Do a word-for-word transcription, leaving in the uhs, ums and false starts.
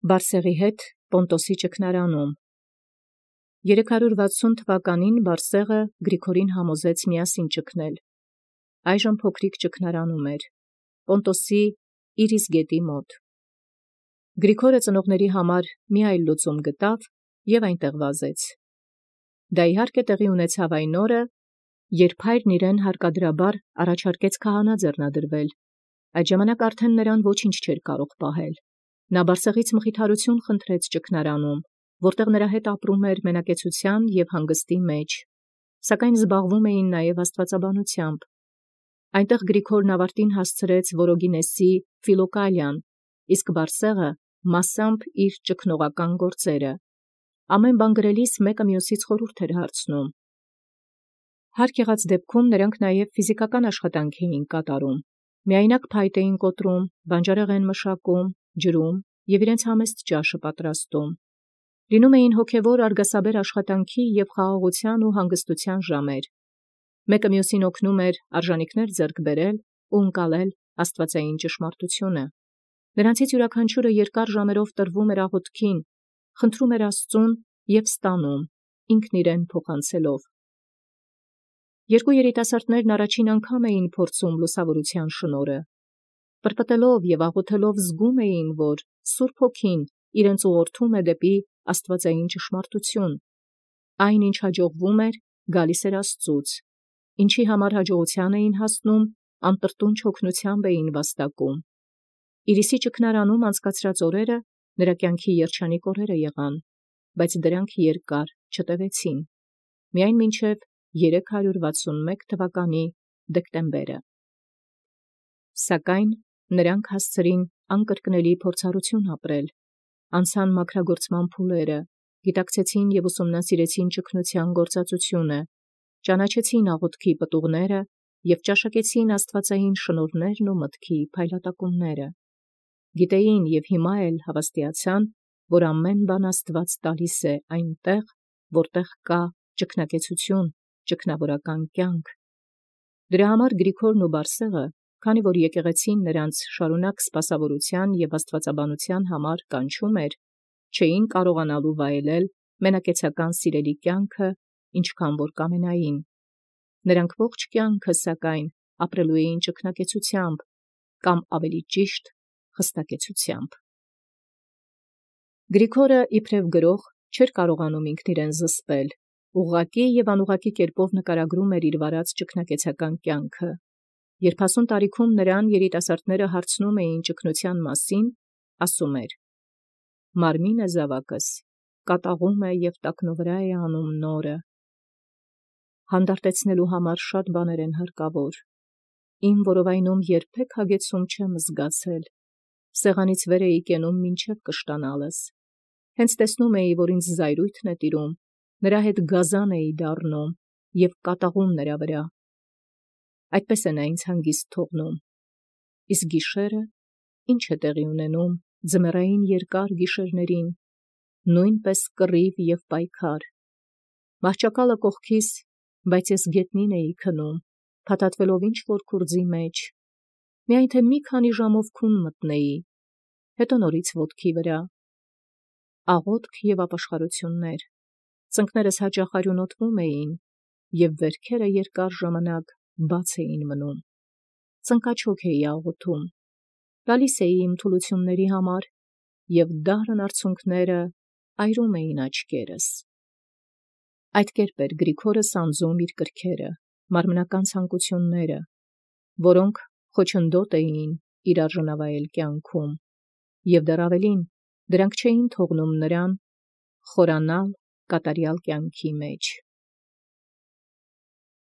Բարսեղի հետ Պոնտոսի ճգնարանում։ Երեք հարյուր վաթսուն թվականին Բարսեղը Գրիգորին համոզեց միասին ճգնել։ Այժմ փոքրիկ ճգնարանում էր, Պոնտոսի Իրիս գետի մոտ։ Գրիգորը ծնողների համար մի այլ լուծում գտավ և այնտեղ վազեց։ Դա իհարկե տեղի ունեցավ այն օրը, երբ հայրն իրեն հարկադրաբար առաջարկեց քահանա ձեռնադրվել։ Այդ ժամանակ արդեն նրան ոչինչ չէր կարող պահել։ Նա Բարսեղից մխիթարություն խնդրեց ճգնարանում, որտեղ նրա հետ ապրում էր մենակեցության և հանգստի մեջ, սակայն զբաղվում էին նաև աստվածաբանությամբ։ Այնտեղ Գրիգորն ավարտին հասցրեց Որոգինեսի Ֆիլոկալիան, իսկ Բարսեղը մասամբ իր ճգնողական գործերը։ Ամեն բան գրելիս մեկը մյուսից խորհուրդ էր հարցնում։ Հարկ եղած դեպքում նրանք նաև ֆիզիկական աշխատանք էին կատարում։ Միայնակ փայտ էին կոտրում, բանջարեղեն մշակում, ջրում և իրենց համեստ ճաշը պատրաստում։ Լինում էին հոգևոր արգասաբեր աշխատանքի և խաղաղության ու հանգստության ժամեր։ Մեկը մյուսին օգնում էր արժանիքներ ձեռք բերել ու ընկալել աստվածային ճշմարտությունը։ Նրանցից յուրաքանչյուրը երկար ժամերով տրվում էր աղոթքին, խնդրում էր Աստծուն և ստանում, ինքն իրեն փոխանցելով։ Երկու երիտասարդներն առաջին անգամ էին փորձում լուսավորության շնորհը։ Պրպտելով և աղոթելով զգում էին, որ Սուրբ Հոգին իրենց ուղղորդում է դեպի աստվածային ճշմարտություն։ Այն, ինչ հաջողվում էր, գալիս էր Աստծուց, ինչի համար հաջողության էին հասնում, անտրտունջ հոգնությամբ էին վաստակում։ Իրիսի ճգնարանում անցկացրած օրերը նրա կյանքի երջանիկ օրերը եղան, բայց դրանք երկար չտևեցին, միայն մինչև երեք հարյուր վաթսունմեկ թվականի դեկտեմբերը։ Սակայն նրանք հասցրին անկրկնելի փորձառություն ապրել, անցան մաքրագործման փուլերը, գիտակցեցին և ուսումնասիրեցին ճգնության գործածությունը, ճանաչեցին աղոթքի պտուղները և ճաշակեցին աստվածային շնորհներն ու մտքի փայլատակումները։ Գիտեին և հիմա էլ հավաստիացան, որ ամեն բան Աստված տալիս է այնտեղ, որտեղ կա ճգնակեցություն, ճգնավորական կյանք։ Դրա համար Գրիգորն ու Բարսեղը, քանի որ եկեղեցին նրանց շարունակ սպասավորության և աստվածաբանության համար կանչում էր, չէին կարողանալու վայելել մենակեցական սիրելի կյանքը, ինչքան որ կամենային։ Նրանք ողջ կյանքը, սակայն, ապրելու էին ճգնակեցությամբ, կամ ավելի ճիշտ, խստակեցությամբ։ Գրիգորը իբրև գրող չէր կարողանում ինքն իրեն զսպել, ուղղակի և անուղղակի կերպով նկարագրում էր իր վարած ճգնակեցական կյանքը։ Երբ հասուն տարիքում նրան երիտասարդները հարցնում էին ճգնության մասին, ասում էր. «Մարմինը զավակս կատաղում է և տակնուվրա է անում նորը։ Հանդարտեցնելու համար շատ բաներ են հարկավոր։ Իմ որովայնում երբեք հագեցում չեմ զգացել, սեղանից վեր էի կենում մինչև կշտանալս։ Հենց տեսնում էի, որ ինձ զայրույթն է տիրում, նրա հետ գազան էի դառնում և կատաղում նրա վրա։ Այդպես է նա ինձ հանգիստ թողնում։ Իսկ գիշերը ի՞նչ է տեղի ունենում ձմեռային երկար գիշերներին, նույնպես կռիվ և պայքար։ Մահճակալը կողքիս, բայց ես գետնին էի քնում, փաթաթվելով ինչ-որ քուրձի մեջ, միայն թե մի քանի ժամով քուն մտնեի, հետո նորից ոտքի վրա։ Աղոթք և ապաշխարություններ, ծնկներս հաճախ արյունոտվում էին, և վերքերը երկար ժամանակ բաց էին մնում։ Ծնկաչոք էի աղոթում, գալիս էի իմ թուլությունների համար, և դառն արցունքները այրում էին աչքերս»։ Այդ կերպ էր Գրիգորը սանձում իր կրքերը, մարմնական ցանկությունները, որոնք խոչընդոտ էին իր արժանավայել կյանքում, և դեռ ավելին, դրանք չէին թողնում նրան խորանալ կատարյալ կյանքի մեջ։